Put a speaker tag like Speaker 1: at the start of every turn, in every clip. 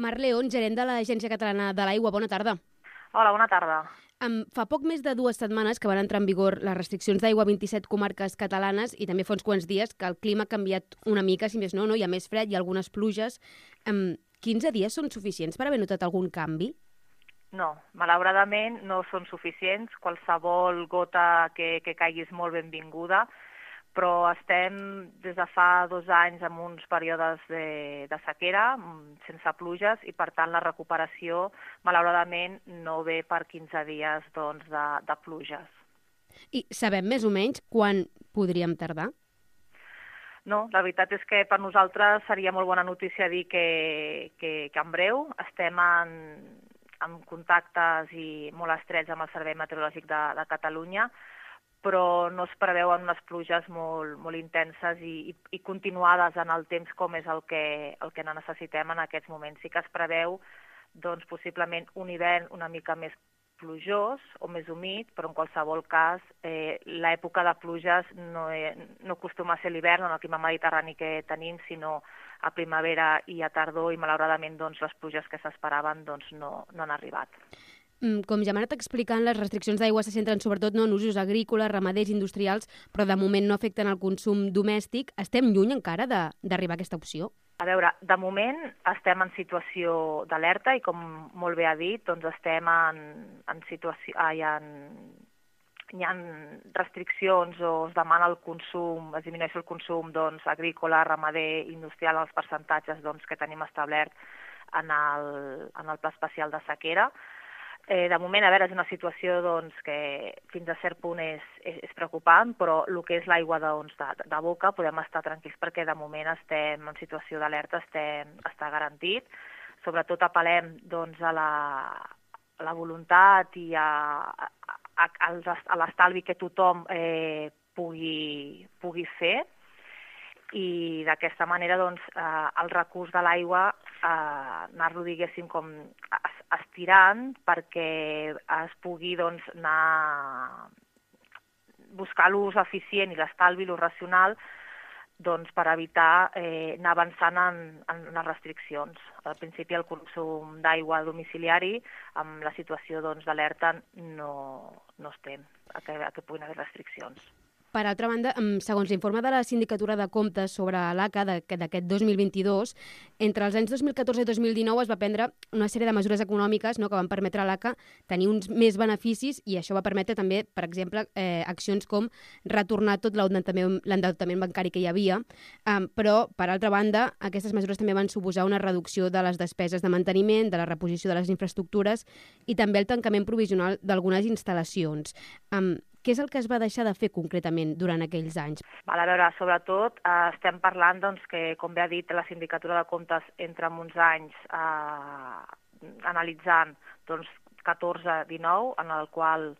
Speaker 1: Mar León, gerent de l'Agència Catalana de l'Aigua. Bona tarda.
Speaker 2: Hola, bona tarda.
Speaker 1: Fa poc més de 2 setmanes que van entrar en vigor les restriccions d'aigua a 27 comarques catalanes i també fa uns quants dies que el clima ha canviat una mica, si més no, hi ha més fred, hi ha algunes pluges. 15 dies són suficients per haver notat algun canvi?
Speaker 2: No, malauradament no són suficients. Qualsevol gota que caigui és molt benvinguda, però estem des de fa 2 anys en uns períodes de sequera, sense pluges, i per tant la recuperació, malauradament, no ve per 15 dies de pluges.
Speaker 1: I sabem més o menys quan podríem tardar?
Speaker 2: No, la veritat és que per nosaltres seria molt bona notícia dir que en breu estem en contactes i molt estrets amb el Servei Meteorològic de Catalunya, però no es preveuen unes pluges molt intenses i continuades en el temps com és el que necessitem en aquests moments. Sí que es preveu possiblement un hivern una mica més plujós o més humit, però en qualsevol cas l'època de pluges no acostuma a ser l'hivern en el clima mediterrani que tenim, sinó a primavera i a tardor, i malauradament les pluges que s'esperaven no han arribat.
Speaker 1: Com ja m'ha anat explicant, les restriccions d'aigua se centren sobretot en usos agrícoles, ramaders, industrials, però de moment no afecten el consum domèstic. Estem lluny encara d'arribar a aquesta opció?
Speaker 2: A veure, de moment estem en situació d'alerta i, com molt bé ha dit, estem en situació... Hi ha restriccions o es demana el consum, es disminueix el consum agrícola, ramader, industrial, els percentatges que tenim establert en el Pla Especial de Sequera. De moment, a veure, és una situació que fins a cert punt és preocupant, però el que és l'aigua de boca podem estar tranquils perquè de moment estem en situació d'alerta, està garantit. Sobretot apel·lem a la voluntat i a l'estalvi que tothom pugui fer, i d'aquesta manera el recurs de l'aigua anar-lo, diguéssim, com estirant perquè es pugui anar buscar l'ús eficient i l'estalvi, l'ús racional, per evitar anar avançant en les restriccions. Al principi el consum d'aigua domiciliari, amb la situació d'alerta, no estem que puguin haver restriccions.
Speaker 1: Per altra banda, segons l'informe de la Sindicatura de Comptes sobre l'ACA d'aquest 2022, entre els anys 2014 i 2019 es va prendre una sèrie de mesures econòmiques que van permetre a l'ACA tenir uns més beneficis, i això va permetre també, per exemple, accions com retornar tot l'endeutament bancari que hi havia, però, per altra banda, aquestes mesures també van suposar una reducció de les despeses de manteniment, de la reposició de les infraestructures i també el tancament provisional d'algunes instal·lacions. Què és el que es va deixar de fer concretament durant aquells anys?
Speaker 2: A veure, sobretot estem parlant que, com bé ha dit la Sindicatura de Comptes, entre uns anys analitzant 14-19, en el qual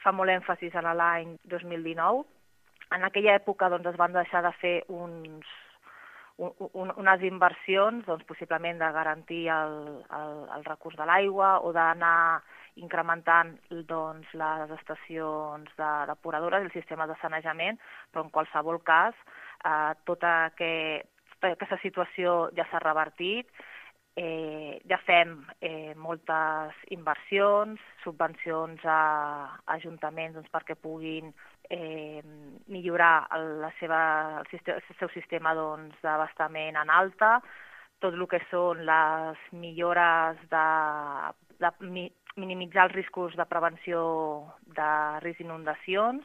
Speaker 2: fa molt èmfasis en l'any 2019. En aquella època es van deixar de fer unes inversions, possiblement de garantir el recurs de l'aigua o d'anar incrementant les estacions depuradores i el sistema de sanejament, però en qualsevol cas tota aquesta situació ja s'ha revertit. Ja fem moltes inversions, subvencions a ajuntaments perquè puguin millorar el seu sistema d'abastament en alta, tot el que són les millores de minimitzar els riscos de prevenció de risc d'inundacions,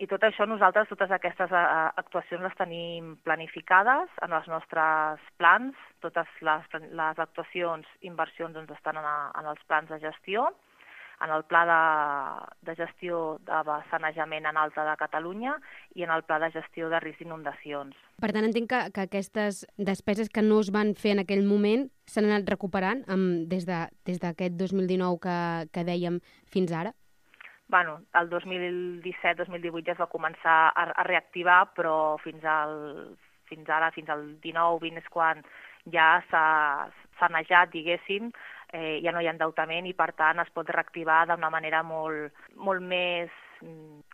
Speaker 2: i tot això nosaltres, totes aquestes actuacions les tenim planificades en els nostres plans. Totes les actuacions, inversions estan en els plans de gestió, en el Pla de Gestió de Sanejament en Alta de Catalunya i en el Pla de Gestió de Risc d'inundacions.
Speaker 1: Per tant, entenc que aquestes despeses que no es van fer en aquell moment s'han anat recuperant des d'aquest 2019 que dèiem fins ara?
Speaker 2: Bueno, el 2017-2018 ja es va començar a reactivar, però fins al 19-20 és quan ja s'ha sanejat, diguéssim, ja no hi ha endeutament i, per tant, es pot reactivar d'una manera molt més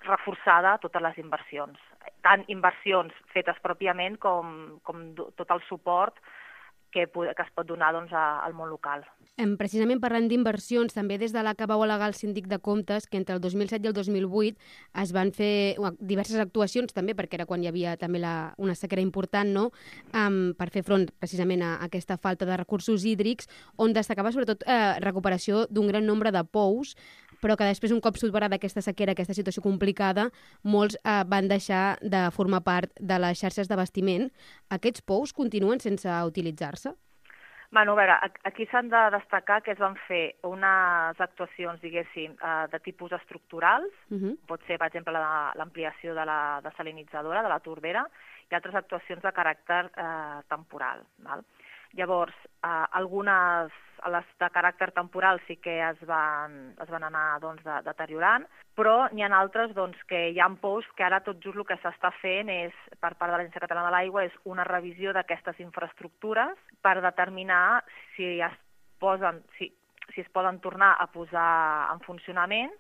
Speaker 2: reforçada totes les inversions. Tant inversions fetes pròpiament com tot el suport que es pot donar doncs, al món local.
Speaker 1: Precisament parlant d'inversions, també des de l'ACA vau al·legar el síndic de comptes que entre el 2007 i el 2008 es van fer diverses actuacions també, perquè era quan hi havia també una sequera important, no? Per fer front precisament a aquesta falta de recursos hídrics, on destacava sobretot recuperació d'un gran nombre de pous, però que després, un cop superada aquesta sequera, aquesta situació complicada, molts van deixar de formar part de les xarxes d'abastiment. Aquests pous continuen sense utilitzar-se?
Speaker 2: Bueno, a veure, aquí s'han de destacar que es van fer unes actuacions, diguéssim, de tipus estructurals, pot ser, per exemple, l'ampliació de la desalinitzadora, de la Tordera, i altres actuacions de caràcter temporal. Val? Llavors, algunes, les de caràcter temporal sí que es van anar doncs, deteriorant, però n'hi ha altres doncs, que hi ha pous que ara tot just el que s'està fent és, per part de l'Agència Catalana de l'Aigua, és una revisió d'aquestes infraestructures per determinar si es poden tornar a posar en funcionament,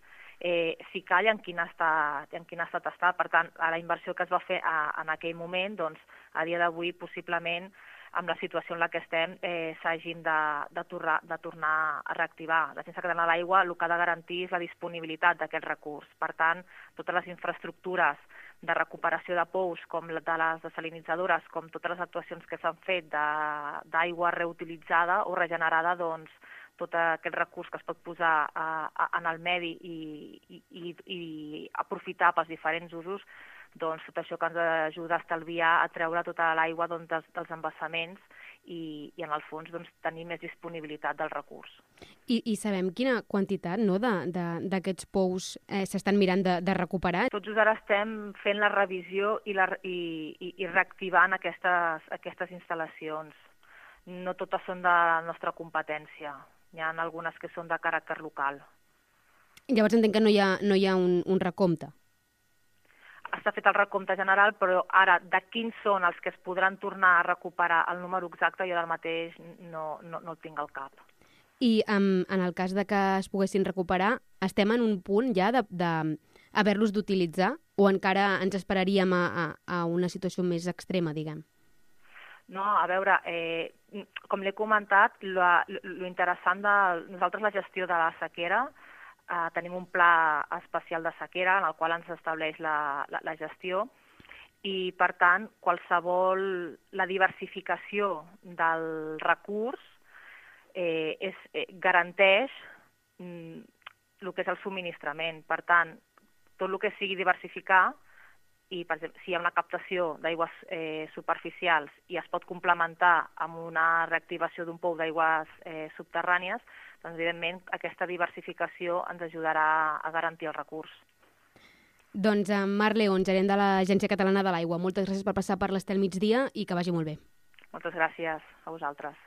Speaker 2: si cal i en quin estat està. Per tant, la inversió que es va fer en aquell moment, doncs, a dia d'avui, possiblement, amb la situació en la que estem, s'hagin de tornar a reactivar. L'Agència Catalana de l'Aigua el que ha de garantir és la disponibilitat d'aquest recurs. Per tant, totes les infraestructures de recuperació de pous, com de les desalinitzadores, com totes les actuacions que s'han fet d'aigua reutilitzada o regenerada, doncs, tot aquest recurs que es pot posar en el medi i aprofitar pels diferents usos, doncs tot això que ens ajuda a estalviar, a treure tota l'aigua dels embassaments i en el fons doncs, tenir més disponibilitat del recurs.
Speaker 1: I sabem quina quantitat d'aquests pous s'estan mirant de recuperar?
Speaker 2: Tot just ara estem fent la revisió i reactivant aquestes instal·lacions. No totes són de la nostra competència. Hi ha algunes que són de caràcter local.
Speaker 1: Llavors entenc que no hi ha un recompte.
Speaker 2: Està fet el recompte general, però ara de quins són els que es podran tornar a recuperar el número exacte, jo ara mateix no el tinc al cap.
Speaker 1: I en el cas de que es poguessin recuperar, estem en un punt ja d'haver-los d'utilitzar o encara ens esperaríem a una situació més extrema, diguem?
Speaker 2: No, a veure, com l'he comentat, lo interessant de nosaltres la gestió de la sequera, tenim un pla especial de sequera en el qual ens estableix la gestió i, per tant, la diversificació del recurs garanteix el que és el subministrament. Per tant, tot el que sigui diversificar i, per exemple, si hi ha una captació d'aigües superficials i es pot complementar amb una reactivació d'un pou d'aigües subterrànies, doncs, evidentment, aquesta diversificació ens ajudarà a garantir el recurs.
Speaker 1: Doncs, Mar León, gerent de l'Agència Catalana de l'Aigua, moltes gràcies per passar per l'Estel Migdia i que vagi molt bé.
Speaker 2: Moltes gràcies a vosaltres.